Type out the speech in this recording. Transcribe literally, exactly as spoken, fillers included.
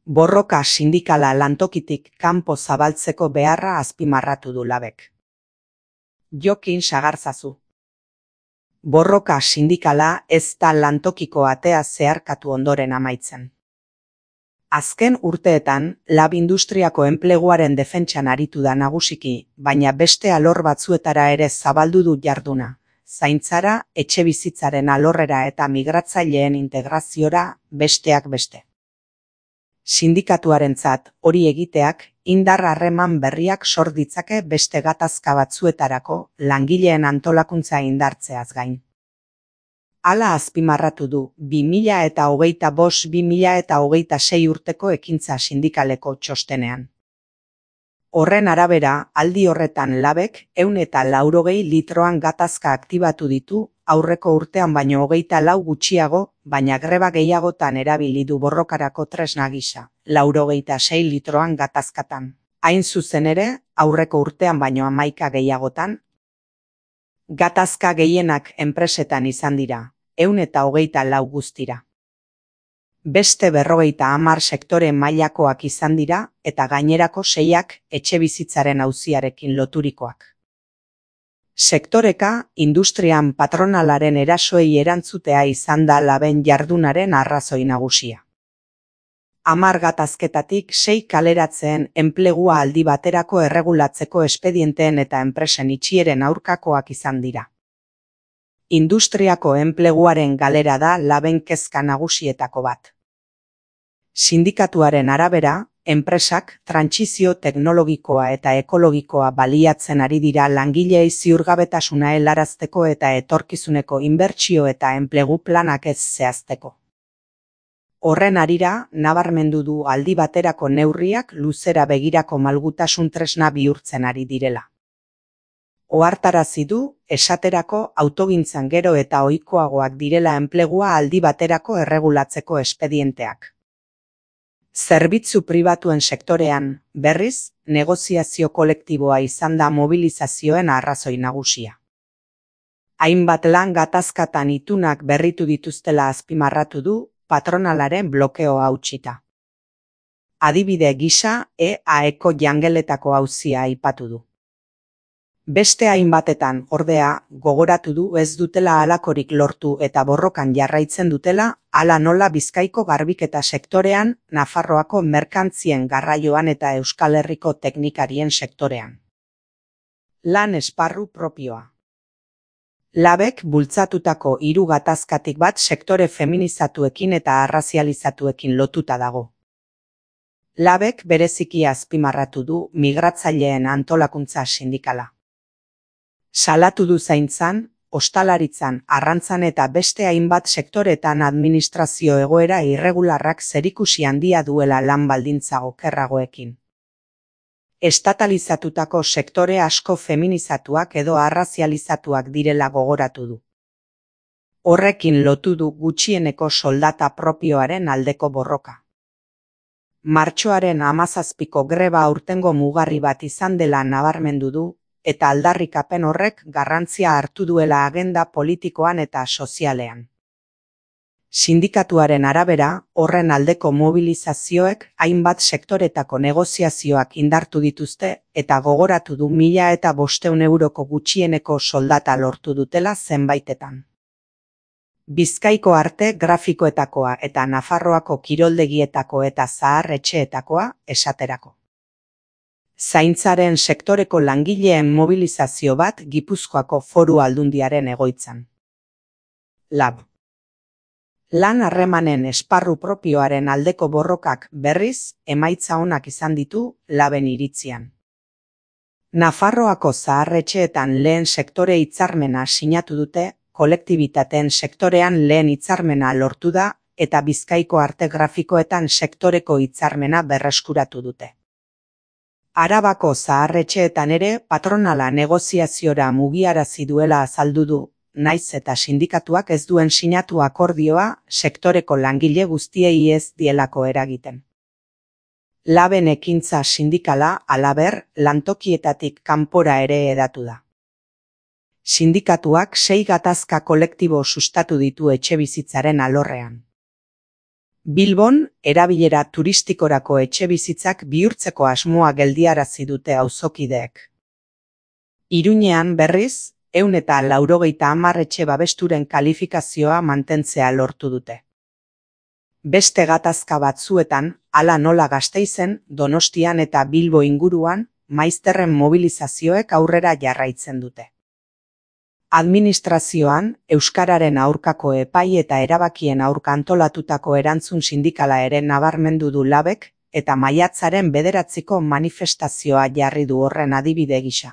Borroka sindikala lantokitik kanpo zabaltzeko beharra azpimarratu du Labek. Jokin Sagarzazu. Borroka sindikala ez da lantokiko atea zeharkatu ondoren amaitzen. Azken urteetan, Lab industriako enpleguaren defentsan aritu da nagusiki, baina beste alor batzuetara ere zabaldu du jarduna, zaintzara, etxebizitzaren alorrera eta migratzaileen integraziora, besteak beste. Sindikatuarentzat hori egiteak indar harreman berriak sor ditzake beste gatazka batzuetarako langileen antolakuntza indartzeaz gain. Hala azpimarratu du bi mila eta hogeita bost bi mila eta hogeita sei urteko ekintza sindikaleko txostenean. Horren arabera, aldi horretan Labek ehun eta laurogei litroan gatazka aktibatu ditu, aurreko urtean baino hogeita lau gutxiago, baina greba gehiagotan erabili du borrokarako tresna gisa, laurogeita sei litroan gatazkatan. Hain zuzen ere, aurreko urtean baino hamaika gehiagotan. Gatazka gehienak enpresetan izan dira, ehun eta hogeita lau guztira. Beste berrogeita hamar sektore mailakoak izan dira eta gainerako seiak etxebizitzaren auziarekin loturikoak. Sektoreka, industrian patronalaren erasoei erantzutea izan da Laben jardunaren arrazoi nagusia. Hamar gatazketatik sei kaleratzeen enplegua aldi baterako erregulatzeko espedienteen eta enpresen itxieren aurkakoak izan dira. Industriako enpleguaren galera da Laben kezka nagusietako bat. Sindikatuaren arabera, enpresak trantsizio teknologikoa eta ekologikoa baliatzen ari dira langileei ziurgabetasuna helarazteko eta etorkizuneko inbertsio eta enplegu planak ez zehazteko. Horren harira, nabarmendu du aldi baterako neurriak luzera begirako malgutasun tresna bihurtzen ari direla. Ohartarazi du, esaterako autogintzan gero eta ohikoagoak direla enplegua aldi baterako erregulatzeko espedienteak. Zerbitzu pribatuen sektorean, berriz, negoziazio kolektiboa izan da mobilizazioen arrazoi nagusia. Hainbat lan gatazkatan itunak berritu dituztela azpimarratu du, patronalaren blokeo hautsita. Adibide gisa, E A Eko jangeletako auzia aipatu du. Beste hainbatetan, ordea, gogoratu du ez dutela halakorik lortu eta borrokan jarraitzen dutela, hala nola Bizkaiko garbiketa sektorean, Nafarroako merkantzien garraioan eta Euskal Herriko teknikarien sektorean. Lan esparru propioa. Labek bultzatutako hiru gatazkatik bat sektore feminizatuekin eta arrazializatuekin lotuta dago. Labek bereziki azpimarratu du migratzaileen antolakuntza sindikala. Salatu du zaintzan, ostalaritzan, arrantzan eta beste hainbat sektoretan administrazio egoera irregularrak zerikusi handia duela lan baldintza okerragoekin. Estatalizatutako sektore asko feminizatuak edo arrazializatuak direla gogoratu du. Horrekin lotu du gutxieneko soldata propioaren aldeko borroka. Martxoaren hamazazpiko greba aurtengo mugarri bat izan dela nabarmendu du, eta aldarrikapen horrek garrantzia hartu duela agenda politikoan eta sozialean. Sindikatuaren arabera, horren aldeko mobilizazioek hainbat sektoretako negoziazioak indartu dituzte eta gogoratu du mila eta bostehun euroko gutxieneko soldata lortu dutela zenbaitetan. Bizkaiko arte grafikoetakoa eta Nafarroako kiroldegietako eta zahar etxeetakoa esaterako. Zaintzaren sektoreko langileen mobilizazio bat Gipuzkoako Foru Aldundiaren egoitzan. Lab. Lan harremanen esparru propioaren aldeko borrokak berriz emaitza onak izan ditu Laben iritzian. Nafarroako zaharretxeetan lehen sektore hitzarmena sinatu dute, kolektibitateen sektorean lehen hitzarmena lortu da eta Bizkaiko arte grafikoetan sektoreko hitzarmena berreskuratu dute. Arabako zaharretxeetan ere patronala negoziaziora mugiarazi duela azaldu du, naiz eta sindikatuak ez duen sinatu akordioa sektoreko langile guztiei ez dielako eragiten. Laben ekintza sindikala, halaber, lantokietatik kanpora ere hedatu da. Sindikatuak sei gatazka kolektibo sustatu ditu etxebizitzaren alorrean. Bilbon, erabilera turistikorako etxebizitzak bihurtzeko asmoa geldiarazi dute auzokideek. Iruñean berriz, ehun eta laurogeita hamar etxe babesturen kalifikazioa mantentzea lortu dute. Beste gatazka batzuetan, hala nola Gasteizen, Donostian eta Bilbo inguruan, maizterren mobilizazioek aurrera jarraitzen dute. Administrazioan, euskararen aurkako epai eta erabakien aurka antolatutako erantzun sindikala ere nabarmendu du labek, eta maiatzaren bederatziko manifestazioa jarri du horren adibide gisa.